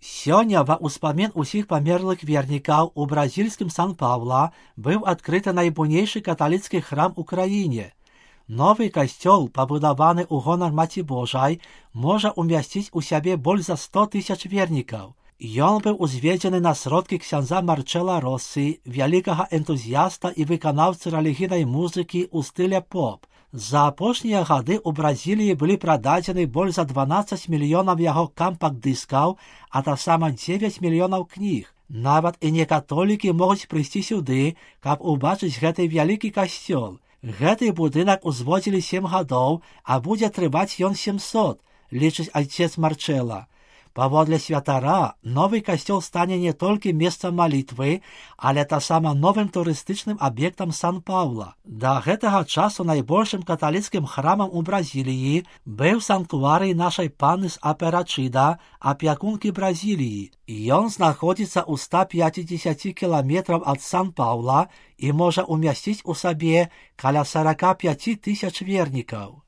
Сёння ва ўспамін усіх памерлых вернікаў у бразільскім Сан-Паўла быў адкрыты найбуйнейшы каталіцкі храм у краіне. Новы касцёл, пабудаваны ў гонар Маці Божай, можа ўмясціць у сябе больш за 100 000 вернікаў. Ён быў узведзены на сродкі ксяндза Марчэла Россі, вялікага энтузіяста і выканаўцы рэлігійнай музыкі ў стыле поп. За апошнія гады ў Бразіліі былі прададзены больш за 12 мільёнаў яго кампакт-дыскаў, а таксама 9 мільёнаў кніг. Нават і некатолікі могуць прыйсці сюды, каб убачыць гэты вялікі касцёл. Гэты будынак узводзілі 7 гадоў, а будзе трываць ён 700, лічыць айцец Марчэла. Паводле святара, новы касцёл стане не толькі месцам малітвы, але таксама новым турыстычным аб'ектам Сан-Паўла. Да гэтага часу найбольшым каталіцкім храмам у Бразіліі быў санктуарый нашай панны з Аперачыда, апякункі Бразіліі. Ён знаходзіцца ў 150 кіламетраў ад Сан-Паўла і можа ўмясціць у сабе каля 45 000 вернікаў.